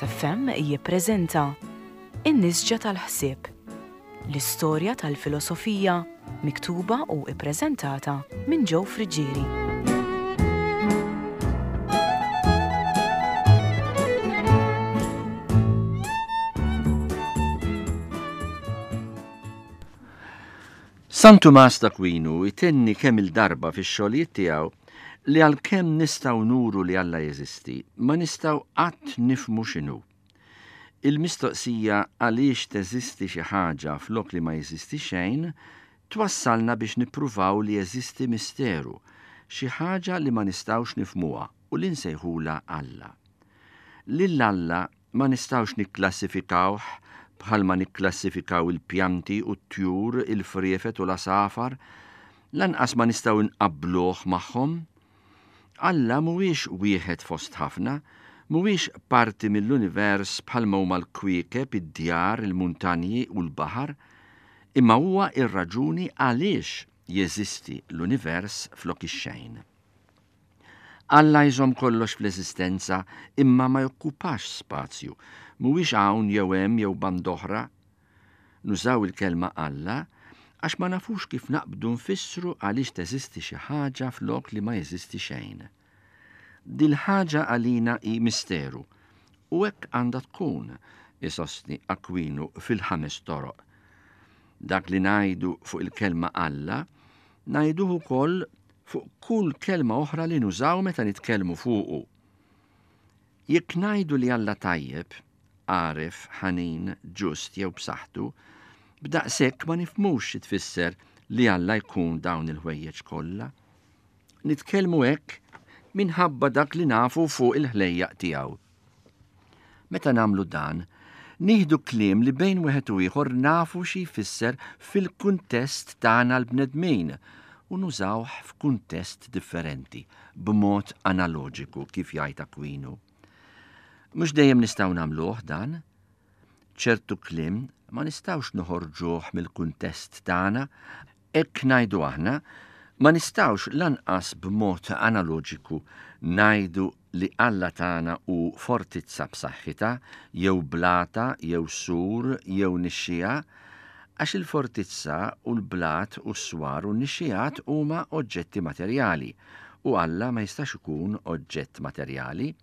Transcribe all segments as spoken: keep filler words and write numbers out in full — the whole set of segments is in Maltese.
Caritas F M jippreżenta In-Nisġa tal-Ħsieb, l-istorja tal-filosofija miktuba u ippreżentata minn Joe Friggieri. San Tumas d'Aquinu jtenni kemm il-darba fix-xogħlijiet tiegħu li għalkemm nistgħu nuru li Alla jeżisti, ma nistgħu qatt nifhmu x'inhu. Il-mistoqsija għaliex teżisti xi ħaġa flok li ma jeżisti xejn twassalna biex nippruvaw li jeżisti misteru, xi ħaġa li ma nistgħux nifhmuha u li nsejħula Alla. Lil Alla ma nistgħux nikklassifikawh bħalma nikklassifikaw il-pjanti u t-tjur, il-friefet u l-asafar, lanqas ma nistgħu nqabbluh magħhom. Alla mhuwiex wieħed fost ħafna, mhuwiex parti mill-univers bħalma huma l-kwiekeb, id-djar, il-muntanji u l-baħar, imma huwa ir-raġuni għaliex jeżisti l-univers flok ix-xejn. Alla jżomm kollox fl-eżistenza imma ma jokkupax spazju, mhuwiex hawn jew hemm jew band'oħra. Nużaw il-kelma Alla għax ma nafux kif naqbdu nfissru għaliex teżisti xi ħaġa flok li ma jeżisti xejn. Dil-ħaġa għalina hi misteru u hekk għandha tkun, isostni Akwinu fil-ħames toroq. Dak li ngħidu fuq il-kelma Alla, ngħiduh ukoll fuq kull kelma oħra li nużaw meta nitkellmu fuqu. Jekk ngħidu li Alla tajjeb, għaref, ħanin, ġust jew b'saħħtu, b'daqshekk ma nifhmux xi tfisser li Alla jkun dawn il-ħwejjeġ kollha. Nitkellmu hekk minħabba dak li nafu fuq il-ħlejjaq tiegħu. Meta nagħmlu dan, nieħdu kliem li bejn wieħed u ieħor nafu xi jfisser fil-kuntest tagħna l-bnedmin u nużawh f'kuntest differenti, b'mod analoġiku kif jgħid Akwinu. Mhux dejjem nistgħu nagħmluh dan. Ċertu kliem ma nistgħux noħorġuh mill-kuntest tagħna, hekk ngħidu aħna, ma nistgħux lanqas b'mod analoġiku ngħidu li Alla tagħna hu fortizza b'saħħitha, jew blata, jew sur, jew nixxija, għax il-fortizza u l-blat u s-swar u n-nixxijat huma oġġetti materjali u Alla ma jistax ikun oġġett materjali.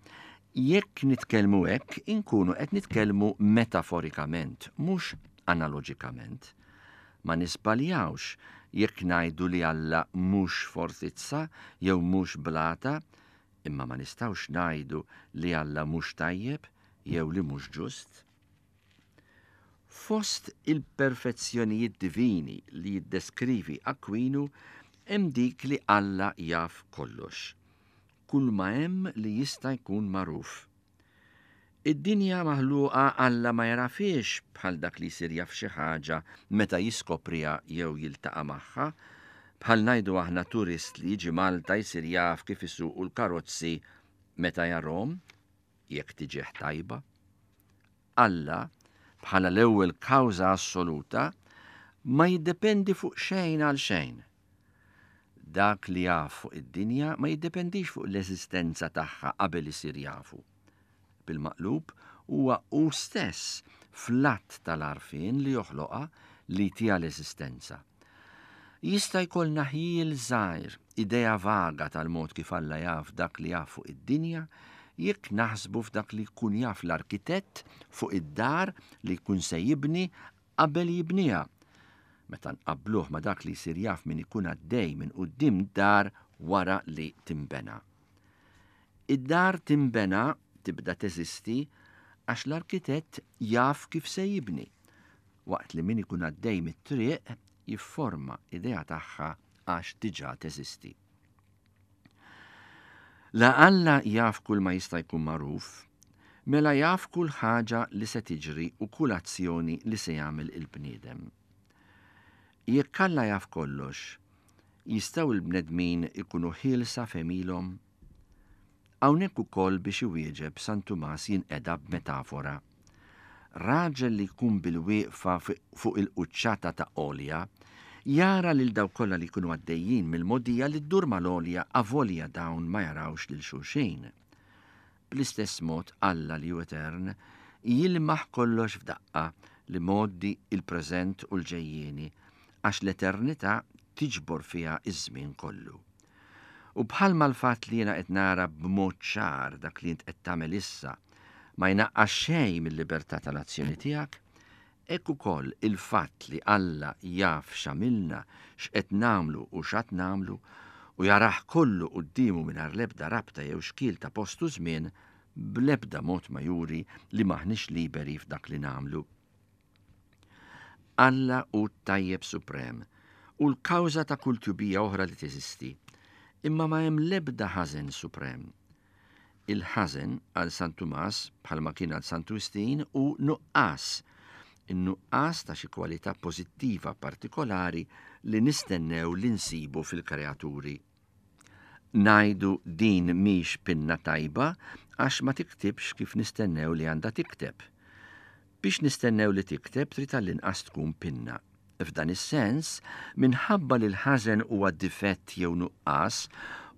Jekk nitkellmu hekk, inkunu qed nitkellmu metaforikament, mhux analoġikament. Ma nisbaljawx jekk ngħidu li Alla mhux fortizza jew mhux blata, imma ma nistgħux ngħidu li Alla mhux tajjeb jew li mhux ġust. Fost il-perfezzjonijiet divini li jiddeskrivi Akwinu hemm dik li Alla jaf kollox, kull ma hemm li jista' jkun magħruf. Id-dinja maħluqa Alla ma jarafiex bħal dak li jsir jaf xi ħaġa meta jiskopriha jew jiltaqa' magħha, bħal ngħidu aħna turist li jiġi Malta jsir jaf kif isuqu l-karozzi meta jarhom, jekk tiġih tajba. Alla, bħala l-ewwel kawża assoluta, ma jiddependi fuq xejn għal xejn. Dak li jaf fuq id-dinja ma jiddependix fuq l-eżistenza tagħha qabel isir jafu. Bil-maqlub huwa hu stess fl-att tal-għarfien li joħloqha li tija l-eżistenza. Jista' jkollna ħjiel żgħir, idea vaga tal-mod kif Alla jaf dak li jaf fuq id-dinja, jekk naħsbu f'dak li jkun jaf l-arkitett fuq id-dar li jkun se jibni qabel jibniha. Meta nqabbluh ma' dak li jsir jaf min ikun għaddej minn quddiem dar wara li timbena. Id-dar timbena tibda teżisti għax l-arkitett jaf kif se jibni, waqt li min ikun għaddej mit-triq jifforma idea tagħha għax diġà teżisti. La Alla jaf kull ma jista' jkun magħruf, mela jaf kull ħaġa li se tiġri u kull azzjoni li se jagħmel il-bniedem. Jekk Alla jaf kollox, jistgħu l-bnedmin ikunu ħielsa f'għemilhom? Hawnhekk ukoll biex iwieġeb San Tumas jinqeda b'metafora. Raġel li jkun bil-wieqfa fuq il-quċċata ta' għolja, jara lil dawk kollha li jkunu għaddejjin mill-mogħdija li ddur mal-għolja avolja dawn ma jarawx lil xulxin. Bl-istess mod Alla li hu etern jilmaħ kollox f'daqqa, l-imgħoddi, il-preżent u l-ġejjieni, għax l-eternità tiġbor fiha iż-żmien kollu. U bħalma l-fatt li jiena qed nara b'mod ċar dak li int qed tagħmel issa ma jnaqqas xejn mill-libertà tal-azzjoni tiegħek, hekk ukoll il-fatt li Alla jaf x'għamilna, x'qed nagħmlu u x'għad nagħmlu, u jarah kollu quddiemu mingħajr l-ebda rabta jew xkiel ta' post u żmien, bl-ebda mod ma juri li m'aħniex liberi f'dak li nagħmlu. Alla hu t-tajjeb suprem u l-kawża ta' kull tjubija oħra li teżisti, imma ma hemm l-ebda ħażen suprem. Il-ħażen għal San Tumas, bħalma kien għal Santu Wistin, hu nuqqas, in-nuqqas ta' xi kwalità pożittiva partikolari li nistennew li nsibu fil-kreaturi. Ngħidu din mhix pinna tajba għax ma tiktibx kif nistennew li għandha tikteb. Biex nistennew li tikteb trid għall-inqas tkun pinna. F'dan is-sens, minħabba li l-ħażen huwa difett jew nuqqas,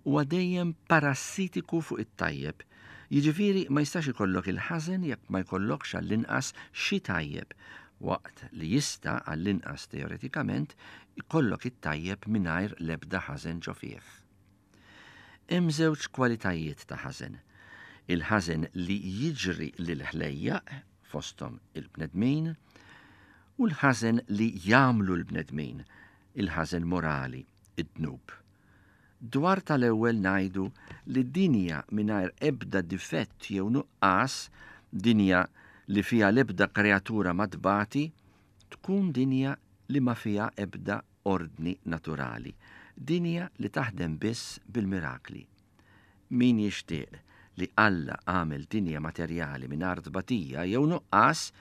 huwa dejjem parassitiku fuq it-tajjeb. Jiġifieri ma jistax ikollok il-ħażen jekk ma jkollokx għall-inqas xi tajjeb, waqt li jista' għall-inqas teoretikament ikollok it-tajjeb mingħajr l-ebda ħażen ġo fih. Hemm żewġ kwalitajiet ta' ħażen. Il-ħażen li jiġri lill-ħlejjaq, fosthom il-bnedmin, u l-ħażen li jagħmlu l-bnedmin, il-ħażen morali, id-dnub. Dwar tal-ewwel ngħidu li dinja mingħajr ebda difett jew nuqqas, dinja li fiha l-ebda kreatura ma tbati, tkun dinja li ma fiha ebda ordni naturali, dinja li taħdem biss bil-mirakli. Min jixtieq li Alla għamel dinja materjali mingħajr tbatija jew nuqqas,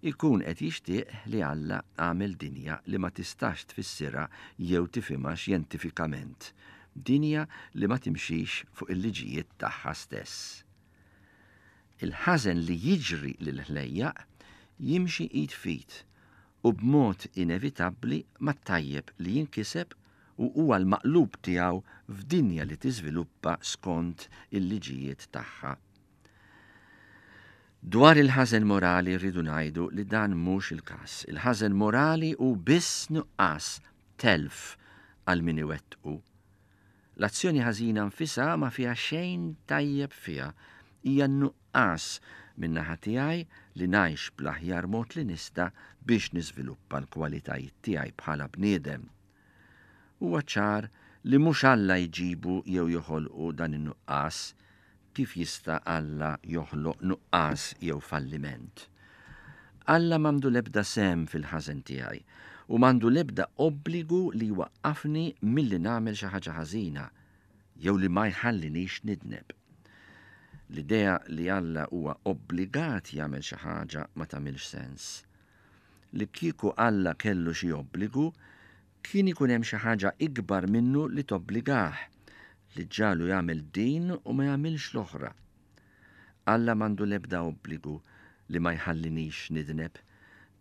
ikun qed jixtieq li Alla għamel dinja li ma tistax tfissirha jew tifhimha xjentifikament, dinja li ma timxix fuq il-liġijiet tagħha stess. Il-ħażen li jiġri lill-ħlejjaq jimxi id f'id u b'mod inevitabbli mat-tajjeb li jinkiseb u huwa l-maqlub tiegħu f'dinja li tiżviluppa skont il-liġijiet tagħha. Dwar il-ħażen morali rridu ngħidu li dan mhux il-każ. Il-ħażen morali hu biss nuqqas, telf għal min iwettqu. L-azzjoni ħażina nfisha ma fiha xejn tajjeb fiha, hija nuqqas min-naħa tiegħi li ngħix bl-aħjar mod li nista' biex niżviluppa l-kwalitajiet tiegħi bħala bniedem. Huwa ċar li mhux Alla jġibu jew joħolqu dan in-nuqqas, kif jista' Alla joħloq nuqqas jew falliment. Alla m'għandu l-ebda sehem fil-ħażen tiegħi u m'għandu l-ebda obbligu li jwaqqafni milli nagħmel xi ħaġa ħażina jew li ma jħallinix nidneb. L-idea li Alla huwa obbligat jagħmel xi ħaġa ma tagħmilx sens. Li kieku Alla kellu xi obbligu, kien ikun hemm xi ħaġa ikbar minnu li tobbligah, li ġalu jagħmel din u ma jagħmilx l-oħra. Alla m'għandu l-ebda obbligu li ma jħallinix nidneb,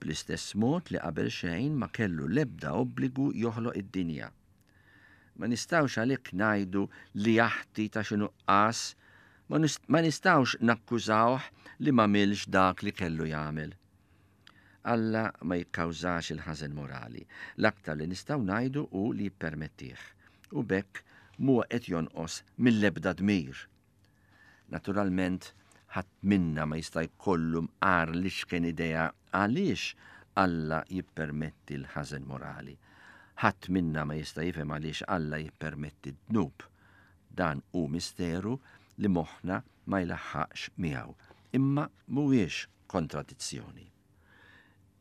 bl-istess mod li qabel xejn ma kellu l-ebda obbligu joħloq id-dinja. Ma nistgħux għalhekk ngħidu li jaħti ta' xi nuqqas, ma nist-, ma nistgħux nakkużawh li m'għamilx dak li kellu jagħmel. Alla ma jikkawżax il-ħażen morali, l-aktar li nistgħu ngħidu hu li jippermettih, u b'hekk mhuwa qed jonqos mill-ebda dmir. Naturalment, ħadd minna ma jista' jkollu mqar li x'kien idea għaliex Alla jippermetti l-ħażen morali. Ħadd minna ma jista' jifhem għaliex Alla jippermetti d-dnub. Dan hu misteru li moħħna ma jlaħħaqx miegħu, imma mhuwiex kontradizzjoni.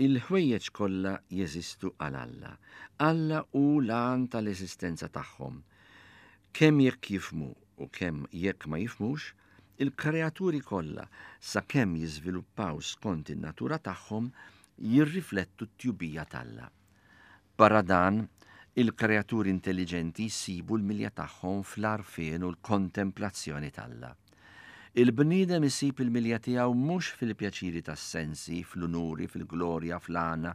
Il-ħwejjeġ kollha jeżistu għal Alla. Alla hu l-għan tal-eżistenza tagħhom. Kemm jekk jifhmu u kemm jekk ma jifhmux, il-kreaturi kollha sakemm jiżviluppaw skont in-natura tagħhom jirriflettu t-tjubija t'Alla. Barra dan, il-kreaturi intelligenti jsibu l-milja tagħhom fl-għarfien u l-kontemplazzjoni t'Alla. Il-bniedem isib il-milja tiegħu mhux fil-pjaċiri tas-sensi, fl-unuri, fil-glorja, fl-għana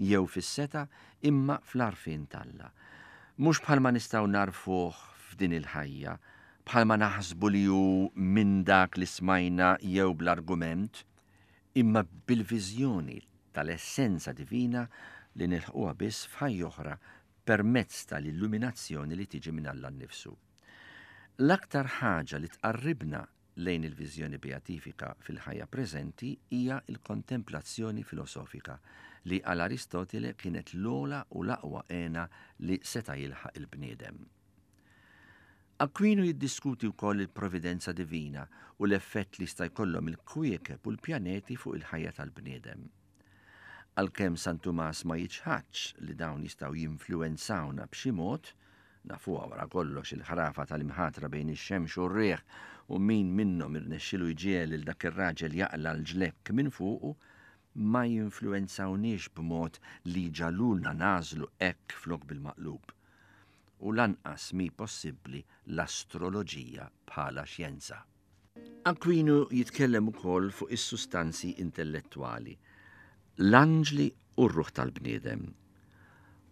jew fis-seta, imma fl-għarfien t'Alla. Mhux bħalma nistgħu narfuh f'din il-ħajja, bħalma naħsbu li hu minn dak li smajna jew bl-argument, imma bil-viżjoni tal-essenza divina li nilħquha biss f'ħajja oħra permezz tal-illuminazzjoni li tiġi minn Alla nnifsu. L-aktar ħaġa li tqarribna lejn il-viżjoni beatifika fil-ħajja preżenti hija l-kontemplazzjoni filosofika li għal Aristotile kienet l-ogħla u l-aqwa hena li seta' jilħaq il-bniedem. Aquino jiddiskuti wkoll il-providenza divina u l-effett li jista' jkollhom il-kwiekeb u l-pjaneti fuq il-ħajja tal-bniedem. Għalkemm San Tumas ma jiċħadx li dawn jistgħu jinfluwenzawna b'xi mod, nafuha wara kollox il-ħrafa tal-imħatra bejn ix-xemx u r-riħ u min minnhom irnexxielu jġiegħel lil dak ir-raġel jaqla' l-ġlekk minn fuqu, ma jinfluwenzawniex b'mod li jġagħlulna nagħżlu hekk flok bil-maqlub. U lanqas mhi possibbli l-astroloġija bħala xjenza. Aquino jitkellem ukoll fuq is-sustanzi intellettwali, l-anġli u r-ruħ tal-bniedem.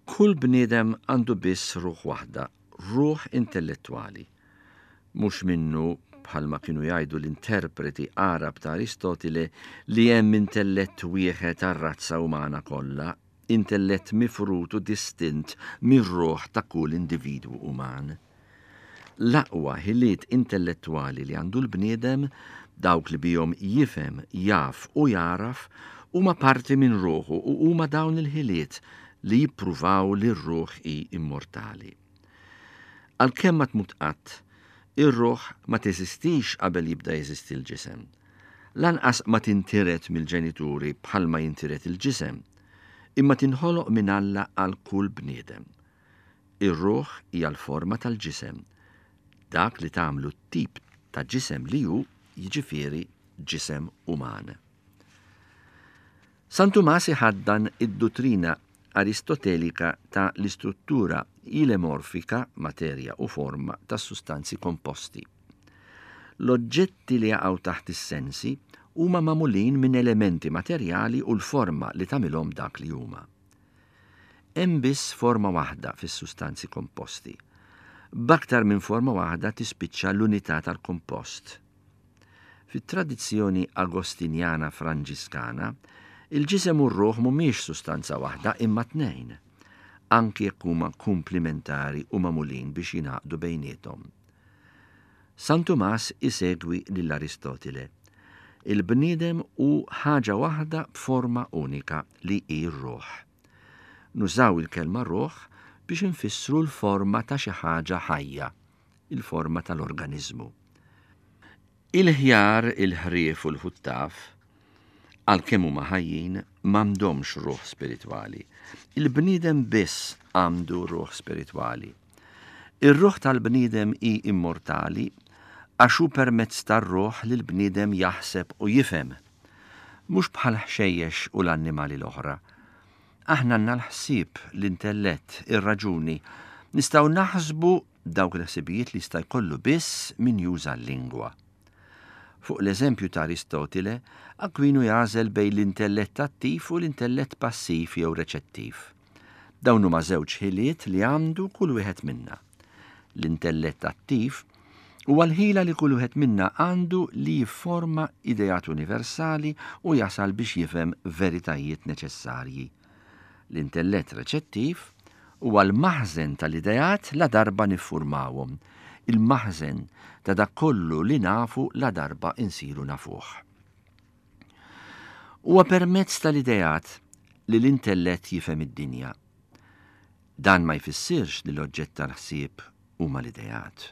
Kull bniedem għandu biss ruħ waħda, ruħ intellettwali. Mhux minnu, bħalma kienu jgħidu l-interpreti Għarab ta' Aristotile, li hemm intellett wieħed għar-razza umana kollha, intellett mifrud u distint mir-ruħ ta' kull individwu uman. L-aqwa ħiliet intellettwali li għandu l-bniedem, dawk li bihom jifhem, jaf u jagħraf, huma parti minn ruħu u huma dawn il-ħiliet li jippruvaw li r-ruħ hi immortali. Għalkemm ma tmut qatt, ir-ruħ ma teżistix qabel jibda jeżisti l-ġisem. Lanqas ma tintiret mill-ġenituri bħalma jintiret il-ġisem, imma tinħoloq minn Alla għal kull bniedem. Ir-ruħ hija l-forma tal-ġisem, dak li tagħmlu t-tip ta' ġisem li hu, jiġifieri ġisem uman. San Tumas iħaddan id-duttrina aristotelika ta' l-istruttura ilemorfika, materja u forma tas-sustanzi komposti. L-oġġetti li jaqgħu taħt is-sensi huma magħmulin minn elementi materjali u l-forma li tagħmilhom dak li huma. Hemm biss forma waħda fis-sustanzi komposti. B'aktar minn forma waħda tispiċċa l-unità tal-kompost. Fit-tradizzjoni agostinjana franġiskana, il-ġisem u r-ruħ mhumiex sustanza waħda imma tnejn, anki jekk huma kumplimentari u magħmulin biex jingħaqdu bejniethom. San Tumas isegwi lil Aristotile. Il-bniedem hu ħaġa waħda b'forma unika li hi r-ruħ. Nużaw il-kelma ruħ biex infissru l-forma ta' xi ħaġa ħajja, il-forma tal-organiżmu. Il-ħjar, il-ħrief u l-ħuttaf, għalkemm huma ħajjin, m'għandhomx ruħ spiritwali. Il-bniedem biss għandu ruħ spiritwali. Ir-ruħ tal-bniedem hi immortali għax hu permezz tar-ruħ li l-bniedem jaħseb u jifhem. Mhux bħal ħxejjex u l-annimali l-oħra. Aħna għandna l-ħsieb, l-intellett, ir-raġuni. Nistgħu naħsbu dawk il-ħsibijiet li jista' jkollu biss min juża l-lingwa. Fuq l-eżempju ta' Aristotile, Aquino jagħżel bejn l-intellett attiv u l-intellett passiv jew reċettiv. Dawn huma żewġ ħiliet li għandu kull wieħed minna. L-intellett attiv huwa l-ħila li kull wieħed minna għandu li jifforma ideat universali u jasal biex jifhem veritajiet neċessarji. L-intellett reċettiv huwa l-maħżen tal-ideat la darba niffurmawhom, il-maħżen ta' dak kollu li nafu la darba insiru nafuh. Huwa permezz tal-ideat li l-intellett jifhem id-dinja. Dan ma jfissirx li l-oġġett tal-ħsieb huma l-ideat.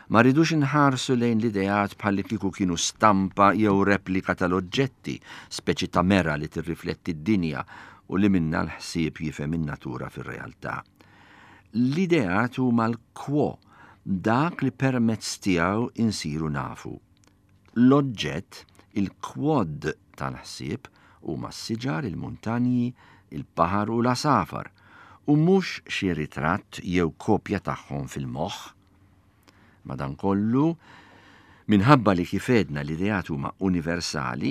Ma rridux inħarsu lejn l-ideat bħalli kieku kienu stampa jew replika tal-oġġetti, speċi ta' mera li tirrifletti d-dinja u li minna l-ħsieb jifhem in-natura fir-realtà. L-ideat huma l-quo, dak li permezz tiegħu insiru nafu. L-oġġett, il-quod tal-ħsieb, huma s-siġar, il-muntanji, il-baħar u l-għasafar, u mhux xi ritratt jew kopja tagħhom fil-moħħ. Madankollu, minħabba li kif għedna l-ideat huma universali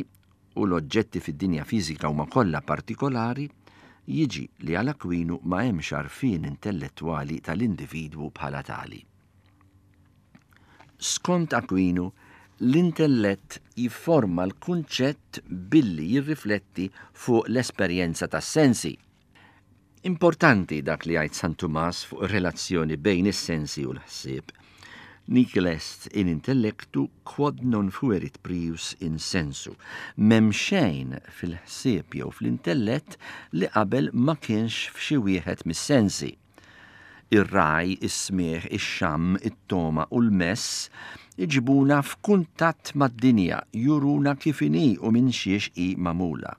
u l-oġġetti fid-dinja fiżika huma kollha partikolari, jiġi li għal Aquino ma hemmx għarfien intellettwali tal-individwu bħala tali. Skont Aquinu, l-intellett jifforma l-kunċett billi jirrifletti fuq l-esperjenza tas-sensi. Importanti dak li jgħid San Tumas fuq ir-relazzjoni bejn is-sensi u l-ħsieb. Nihil est in intellectu quod non fuerit prius in sensu. M'hemm xejn fil-ħsieb jew fl-intellett li qabel ma kienx f'xi wieħed mis-sensi. Ir-raj, is-smigħ, ix-xamm, it-togħma u l-mess iġibuna f'kuntatt mad-dinja, juruna kif inhi u minn xiex hi magħmula.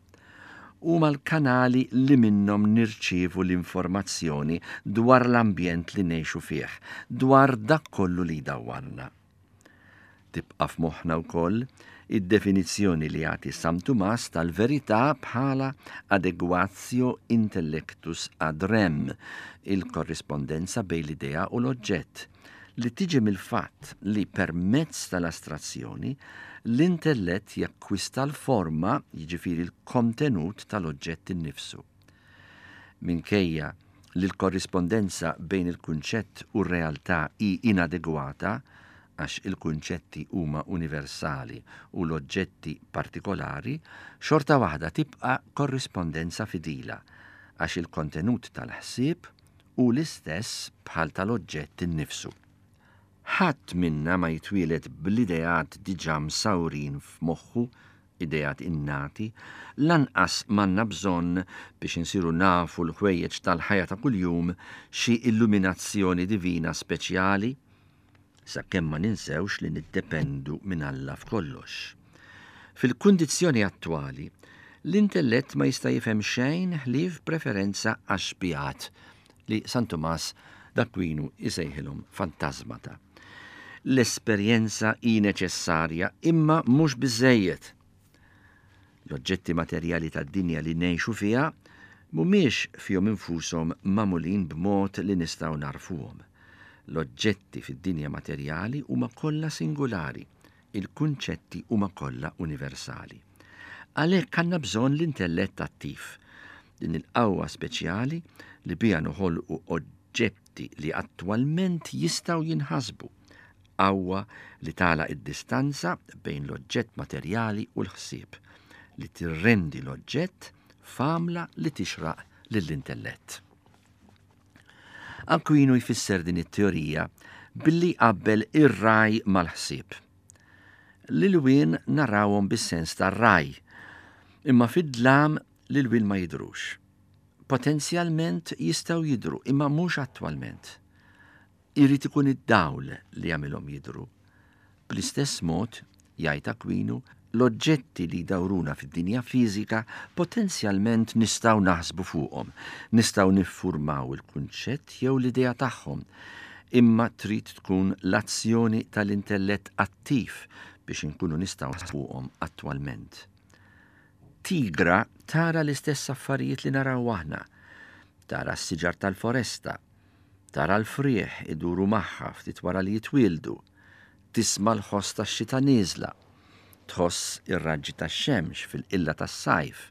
Huma l-kanali li minnhom nirċievu l-informazzjoni dwar l-ambjent li ngħixu fih, dwar dak kollu li jdawwarna. Tibqa' f'moħħna wkoll id-definizzjoni li jagħti San Tumas tal-verità bħala adequatio intellectus ad rem, il-korrispondenza bejn l-idea u l-oġġett, li tiġi mill-fatt li permezz tal-astrazzjoni l-intellett jakkwista l-forma, jiġifieri l-kontenut tal-oġġett innifsu. Minkejja li l-korrispondenza bejn il-kunċett u r-realtà hi inadegwata, għax il-kunċetti huma universali u l-oġġetti partikolari, xorta waħda tibqa' korrispondenza fidila, għax il-kontenut tal-ħsieb hu l-istess bħal tal-oġġett innifsu. Ħadd minna ma jitwieled bl-ideat diġà msawrin f'moħħu, ideat innati, lanqas m'għandna bżonn biex insiru nafu l-ħwejjeġ tal-ħajja ta' kuljum xi illuminazzjoni divina speċjali, sakemm ma ninsewx li niddependu minn Alla f'kollox. Fil-kundizzjoni attwali, l-intellett ma jista' jifhem xejn ħlief preferenza għax-xbihat li San Tumas d'Aquinu jsejħilhom fantasmata. L-esperjenza hi neċessarja imma mhux biżejjed. L-oġġetti materjali tad-dinja li ngħixu fiha mhumiex fihom infushom magħmulin b'mod li nistgħu narfuhom. L-oġġetti fid-dinja materjali huma kollha singolari, il-kunċetti huma kollha universali. Għalhekk għandna bżonn l-intellett attiv, din il-qawwa speċjali li biha noħolqu oġġetti li attwalment jistgħu jinħasbu, qawwa li tagħlaq id-distanza bejn l-oġġett materjali u l-ħsieb, li tirrendi l-oġġett f'għamla li tixraq lill-intellett. Aquino jfisser din it-teorija billi qabbel ir-raj mal-ħsieb. L-ilwien narawhom bis-sens tar-raj, imma fid-dlam l-ilwien ma jidhrux. Potenzjalment jistgħu jidhru, imma mhux attwalment. Irid ikun id-dawl li jagħmilhom jidhru. Bl-istess mod, jgħid Aquino, l-oġġetti li jdawruna fid-dinja fiżika potenzjalment nistgħu naħsbu fuqhom, nistgħu niffurmaw il-kunċett jew l-idea tagħhom, imma trid tkun l-azzjoni tal-intellett attiv biex inkunu nistgħu fuqhom attwalment. Tigra tara l-istess affarijiet li naraw aħna, tara s-siġar tal-foresta, tara l-frieħ iduru magħha ftit wara li jitwieldu, tisma' l-ħoss tax-xita nieżla, tħoss ir-raġġi tax-xemx fil-qilla tas-sajf,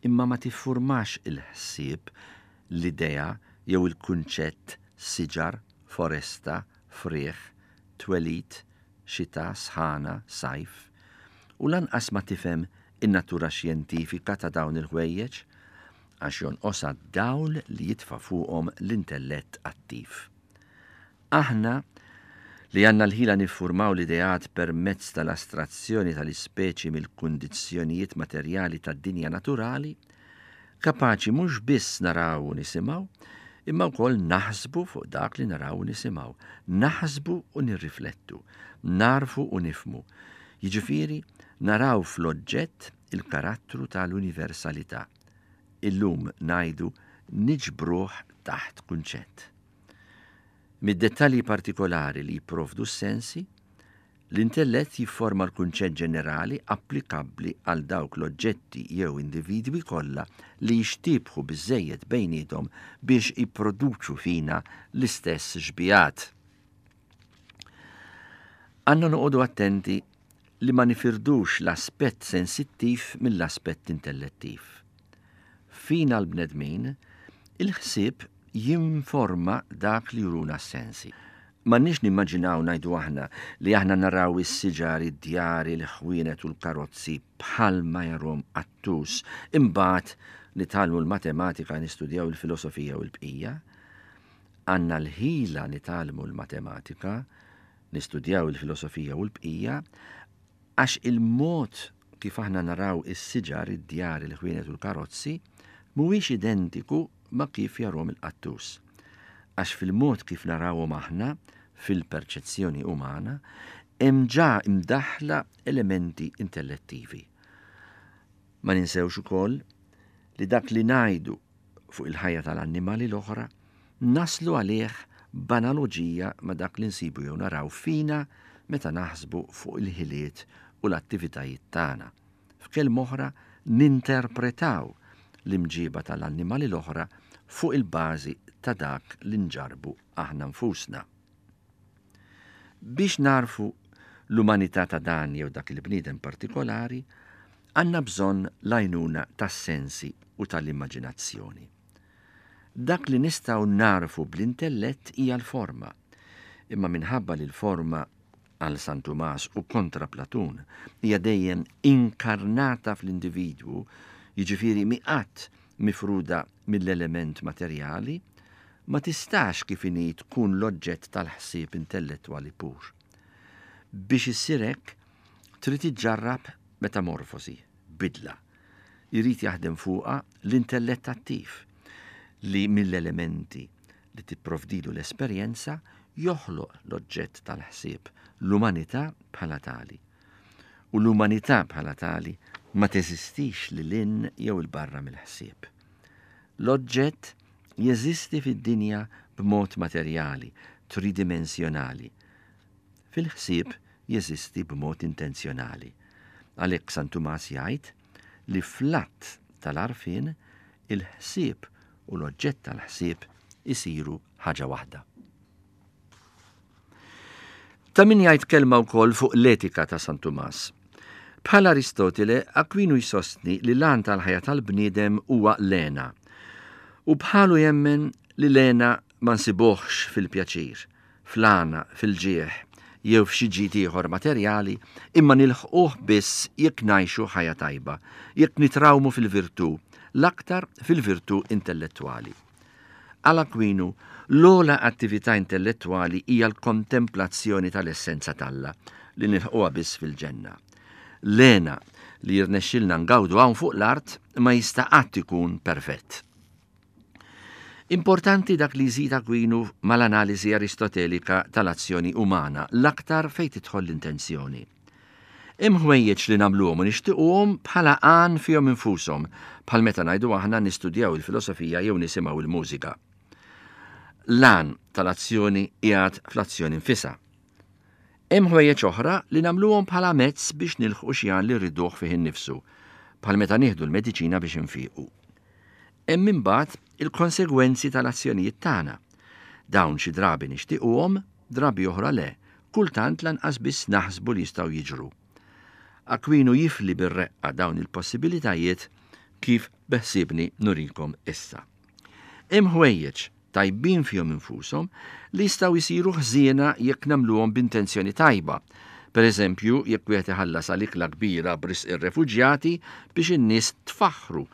imma ma tiffurmax il-ħsieb, l-idea jew il-kunċett siġar, foresta, frieħ, twelid, xita, sħana, sajf, u lanqas ma tifhem in-natura xjentifika ta' dawn il-ħwejjeġ, għax jonqosha d-dawl li jitfa' fuqhom l-intellett attiv. Aħna li għandna l-ħila niffurmaw l-ideat permezz tal-astrazzjoni tal-ispeċi mill-kundizzjonijiet materjali tad-dinja naturali, kapaċi mhux biss naraw u nisimgħu, imma wkoll naħsbu fuq dak li naraw u nisimgħu, naħsbu u nirriflettu, narfu u nifmu. Jiġifieri naraw fl-oġġett il-karattru tal-universalità. Illum ngħidu niġbruh taħt kunċett. Mid-dettalji partikolari li jipprovdu s-sensi, l-intellett jifforma l-kunċett ġenerali applikabbli għal dawk l-oġġetti jew individwi kollha li jixtiebħu biżżejjed bejniethom biex jipproduċu fina l-istess xbijat. Għandna noqogħdu attenti li ma nifirdux l-aspett sensittiv mill-aspett intellettiv. Fina l-bnedmin, il-ħsieb jinforma dak li juruna s-sensi. M'għandniex nimmaġinaw, ngħidu aħna, li aħna naraw is-siġar, id-djar, il-ħwienet u l-karozzi bħalma jarahom qattus, imbagħad nitgħallmu l-matematika, nistudjaw il-filosofija u l-bqija. Għandna l-ħila nitgħallmu l-matematika, nistudjaw il-filosofija u l-bqija, għax il-mod kif aħna naraw is-siġar, id-djar, il-ħwienet u l-karozzi mhuwiex identiku ma' kif jarahom il-qattus. Għax fil-mod kif narawhom aħna, fil-perċezzjoni umana, hemm ġa imdaħla elementi intellettivi. Ma ninsewx ukoll li dak li ngħidu fuq il-ħajja tal-annimali l-oħra naslu għalih b'analoġija ma' dak li nsibu jew naraw fina meta naħsbu fuq il-ħiliet u l-attivitajiet tagħna. F'kelma oħra, ninterpretaw l-imġiba tal-annimali l-oħra fuq il-bażi ta' dak li nġarbu aħna nfusna. Biex narfu l-umanità ta' dan jew dak il-bniedem partikolari, għandna bżonn l-għajnuna tas-sensi u tal-immaġinazzjoni. Dak li nistgħu narfu bl-intellett hija l-forma, imma minħabba li l-forma għal San Tumas u kontra Platun hija dejjem inkarnata fl-individwu, jiġifieri mi qatt mifruda mill-element materjali, ma tistax kif inhi tkun l-oġġett tal-ħsieb intellettwali pur. Biex issir hekk, trid iġġarrab metamorfosi, bidla. Irid jaħdem fuqha l-intellett attiv li mill-elementi li tipprovdilu l-esperjenza joħloq l-oġġett tal-ħsieb, l-umanità bħala tali. U l-umanità bħala tali ma teżistix lil hinn jew 'il barra mill-ħsieb. L-oġġett jeżisti fid-dinja b'mod materjali, tridimensjonali. Fil-ħsieb jeżisti b'mod intenzjonali. Għalhekk San Tumas jgħid li fl-att tal-għarfien il-ħsieb u l-oġġett tal-ħsieb isiru ħaġa waħda. Ta' min jgħid kelma wkoll fuq l-etika ta' San Tumas. Bħal Aristotele, Akwinu jsostni li l-għan tal-ħajja tal-bniedem huwa l-hena. U bħalu jemmen li l-hena ma nsibuhx fil-pjaċir, fl-għana, fil-ġieħ, jew f'xi ġid ieħor materjali, imma nilħquh biss jekk ngħixu ħajja tajba, jekk nitrawmu fil-virtù, l-aktar fil-virtù intellettwali. Għal Akwinu, l-ogħla attività intellettwali hija l-kontemplazzjoni tal-essenza t'Alla li nilħquha biss fil-ġenna. L-hena li jirnexxilna ngawdu hawn fuq l-art ma jista' qatt ikun perfett. Importanti dak li jżid Akwinu mal-analiżi aristotelika tal-azzjoni umana, l-aktar fejn tidħol l-intenzjoni. Hemm ħwejjeġ li nagħmluhom u nixtiequhom bħala għan fihom infushom, bħal meta ngħidu aħna nistudjaw il-filosofija jew nisimgħu il-mużika. L-għan tal-azzjoni qiegħed fl-azzjoni nfisha. Hemm ħwejjeġ oħra li nagħmluhom bħala mezz biex nilħqu xi għan li rriduh fih innifsu, bħal meta nieħdu l-mediċina biex infiqu. Hemm imbagħad il-konsegwenzi tal-azzjonijiet tagħna. Dawn xi drabi nixtiequhom, drabi oħra le, kultant lanqas biss naħsbu li jistgħu jiġru. Akwinu jifli bir-reqqa dawn il-possibilitajiet kif beħsiebni nurikom issa. Hemm ħwejjeġ tajbin fihom infushom li jistgħu jsiru ħżiena jekk nagħmluhom b'intenzjoni tajba. Per eżempju, jekk wieħed iħallas għal ikla kbira b'risq ir-refuġjati biex in-nies tfaħħru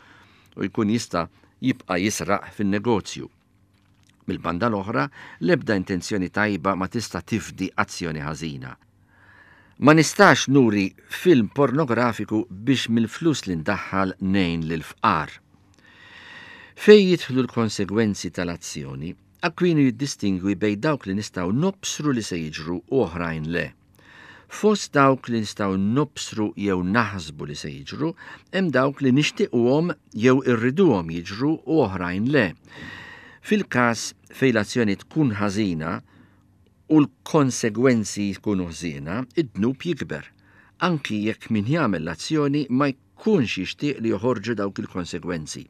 u jkun jista' jibqa' jisraq fin-negozju. Mill-banda l-oħra, l-ebda intenzjoni tajba ma tista' tifdi azzjoni ħażina. Ma nistax nuri film pornografiku biex mill-flus li ndaħħal ngħin lil fqar. Fej jidħlu l-konsegwenzi tal-azzjoni, Akwinu jiddistingwi bejn dawk li nistgħu nobsru li se jiġru u oħrajn le. Fost dawk li nistgħu nobsru jew naħsbu li se jiġru, hemm dawk li nixtiequhom jew irriduhom jiġru u oħrajn le. Fil-każ fejn l-azzjoni tkun ħażina u l-konsegwenzi jkunu ħżiena, id-dnub jikber, anki jekk min jagħmel l-azzjoni ma jkunx jixtieq li joħorġu dawk il-konsegwenzi.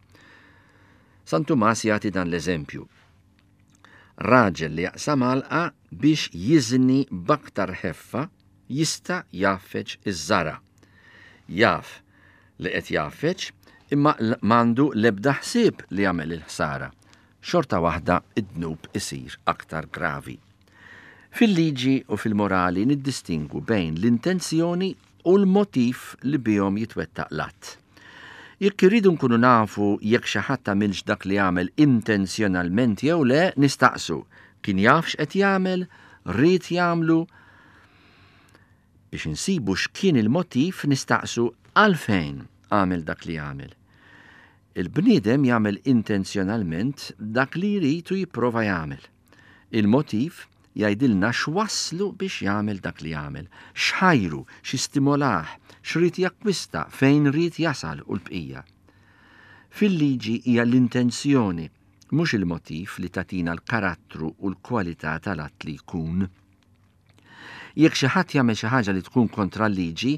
San Tumas jagħti dan l-eżempju. Raġel li jaqsam għalqa biex jiżni b'aktar ħeffa jista' jgħaffeġ iż-żara. Jaf li qed jgħaffeġ imma m'għandu l-ebda ħsieb li jagħmel il-ħsara. Xorta waħda id-dnub isir aktar gravi. Fil-liġi u fil-morali niddistingwu bejn l-intenzjoni u l-motiv li bihom jitwettaq l-att. Jekk irridu nkunu nafu jekk xi ħadd għamilx dak li għamel intenzjonalment jew le, nistaqsu kien jaf x'qed jagħmel, ried jagħmlu. Biex insibu x'kien il-motiv nistaqsu għalfejn għamel dak li għamel. Il-bniedem jagħmel intenzjonalment dak li jrid u jipprova jagħmel. Il-motiv jgħidilna x'wasslu biex jagħmel dak li jagħmel, x'ħajru, x'istimolah, x'rid jakkwista, fejn ried jasal u l-bqija. Fil-liġi hija l-intenzjoni, mhux il-motiv li tagħtina l-karattru u l-kwalità tal-att li jkun. Jekk xi ħadd jagħmel xi ħaġa li tkun kontra l-liġi,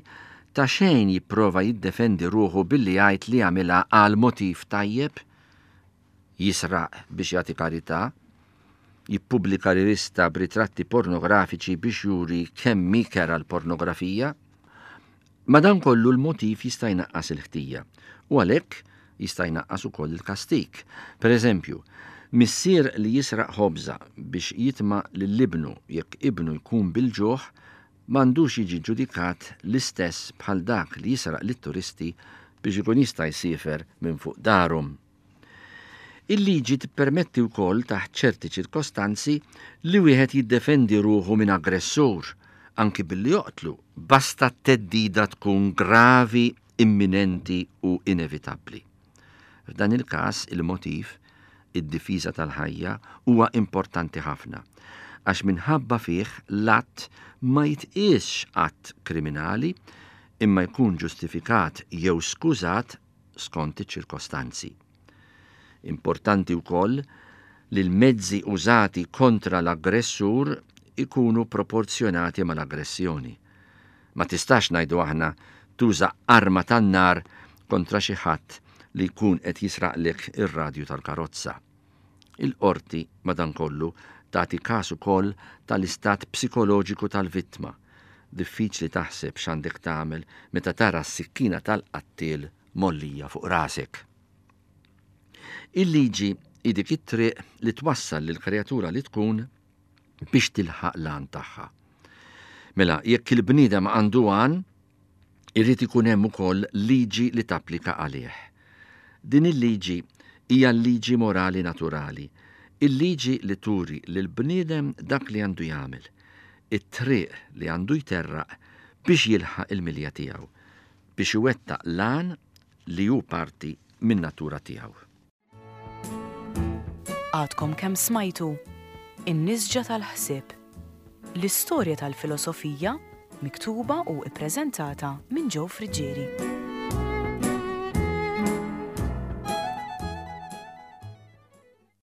ta' xejn jipprova jiddefendi ruħu billi jgħid li għamilha għal motiv tajjeb, jisraq biex jagħti karità, jippubblika rivista b'ritratti pornografiċi biex juri kemm hi kerha l-pornografija. Madankollu l-motiv jista' jnaqqas il-ħtija u għalhekk jista' jnaqqas ukoll il-kastig. Per eżempju, missier li jisraq ħobża biex jitma' lil ibnu jekk ibnu jkun bil-ġuħ m'għandux jiġi ġudikat l-istess bħal dak li jisraq lit-turisti biex ikun jista' jsiefer minn fuq darhom. Il-liġi tippermetti wkoll taħt ċerti ċirkostanzi li wieħed jiddefendi ruħu minn aggressur, anki billi joqtlu, basta t-theddida tkun gravi, imminenti u inevitabbli. F'dan il-każ il-motiv, id-difiża tal-ħajja, huwa importanti ħafna, għax minħabba fih l-att ma jitqiesx att kriminali imma jkun ġustifikat jew skużat skont iċ-ċirkostanzi. Importanti wkoll li l-mezzi użati kontra l-aggressur ikunu proporzjonati mal-aggressjoni. Ma tistax ngħidu aħna tuża arma tan-nar kontra xi ħadd li jkun qed jisraqlek ir-radju tal-karozza. Il-qorti madankollu tagħti każ ukoll tal-istat psikoloġiku tal-vittma. Diffiċli taħseb x'għandek tagħmel meta tara s-sikkina tal-qattiel mgħollija fuq rasek. Il-liġi hi dik it-triq li twassal lill-kreatura li tkun biex tilħaq l-għan tagħha. Mela, jekk il-bniedem għandu għan, irrid ikun hemm ukoll liġi li tapplika għalih. Din il-liġi hija l-liġi morali naturali, il-liġi li turi lil bniedem dak li għandu jagħmel, it-triq li għandu jterraq biex jilħaq il-milja tiegħu, biex iwettaq l-għan li hu parti min-natura tiegħu. Għadkom kemm smajtu In-Nisġa tal-Ħsieb, l-istorja tal-filosofija miktuba u ippreżentata minn Joe Friggieri.